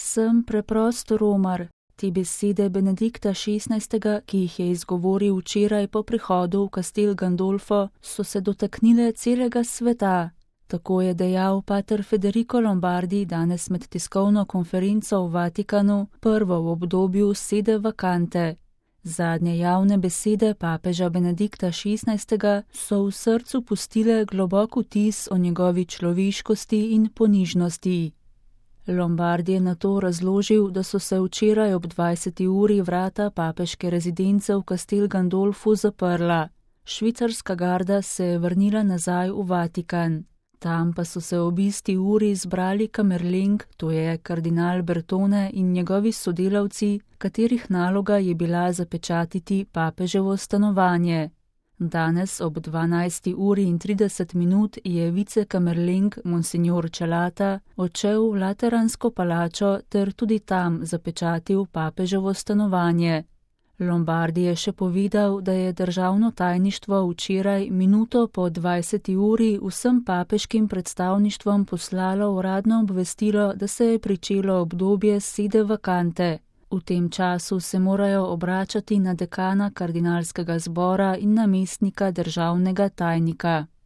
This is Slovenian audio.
Sem preprost romar. Te besede Benedikta XVI., ki jih je izgovoril včeraj po prihodu v Castel Gandolfo, so se dotaknile celega sveta. Tako je dejal pater Federico Lombardi danes med tiskovno konferenco v Vatikanu, prvo v obdobju sede vakante. Zadnje javne besede papeža Benedikta XVI. So v srcu pustile globok vtis o njegovi človeškosti in ponižnosti. Lombardi je nato razložil, da so se včeraj ob 20. uri vrata papeške rezidence v Castel Gandolfu zaprla. Švicarska garda se je vrnila nazaj v Vatikan. Tam pa so se ob isti uri zbrali kamerleng, to je kardinal Bertone in njegovi sodelavci, katerih naloga je bila zapečatiti papeževo stanovanje. Danes ob 12. uri in 30 minut je vicekamerleng Monsignor Celata odšel v Lateransko palačo ter tudi tam zapečatil papeževo stanovanje. Lombardi je še povedal, da je državno tajništvo včeraj minuto po 20. uri vsem papeškim predstavništvom poslalo uradno obvestilo, da se je pričelo obdobje sede vakante. V tem času se morajo obračati na dekana kardinalskega zbora in namestnika državnega tajnika.